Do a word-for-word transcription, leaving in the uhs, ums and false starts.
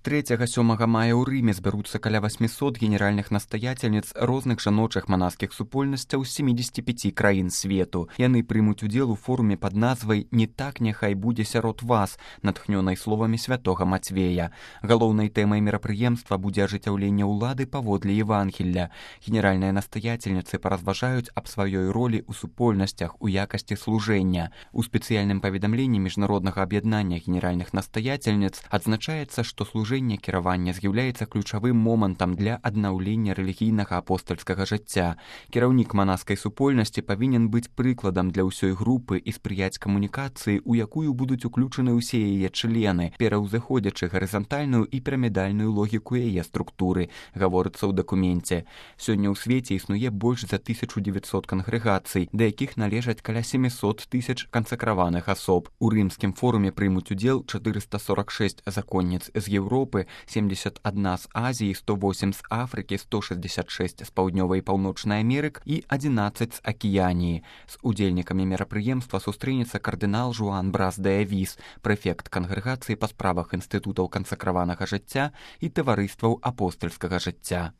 трэцяга сёмага мая ў Рыме збяруцца каля восьмісот генеральных настаятельніц розных жаночых манаскіх супольнасцяў з семідзесяці пяці краін свету. Яны прымуць удзел у форуме пад назвай «Не так няхай будзе сярод вас», натхнёнай словамі святога Мацвея. Галоўнай тэмай мерапрыемства будзе ажыццяўленне ўлады паводле Евангелля. Генеральныя настаятельніцы паразважаюць аб сваёй ролі ў супольнасцях у якасці служэння. У спецыяльным паведамленні міжнароднага аб'яднання генеральных настаятельніц адзначаецца, што служэнне кіравання з'яўляецца ключавым момантам для аднаўлення рэлігійнага апостальскага жыцця. Кіраўнік манаскай супольнасці павінен быць прыкладам для ўсёй групы і спрыяць камунікацыі, у якую будуць уключаны ўсе яе члены, пераўзыходзячы гарызантальную і пірамідальную логіку яе структуры, гаворыцца ў дакуменце. Сёння ў свеце існуе больш за тысячу дзевяцьсот кангрэгацый, да якіх належаць каля сямісот тысяч кансакраваных асоб. У рымскім форуме прымуць удзел чатырыста сорак шэсць законніц з Еўропы, семьдесят одна з Азіі, сто восемь з Афрыкі, сто шэсцьдзесят шэсць з Паўднёвай і Паўночнай Амерык і адзінаццаць з Акіяніі. З удзельнікамі мерапрыемства сустрэнецца кардынал Жуан Брас де Авіс, прэфект кангрэгацыі па справах інстытутаў кансакраванага жыцця і таварыстваў апостальскага жыцця.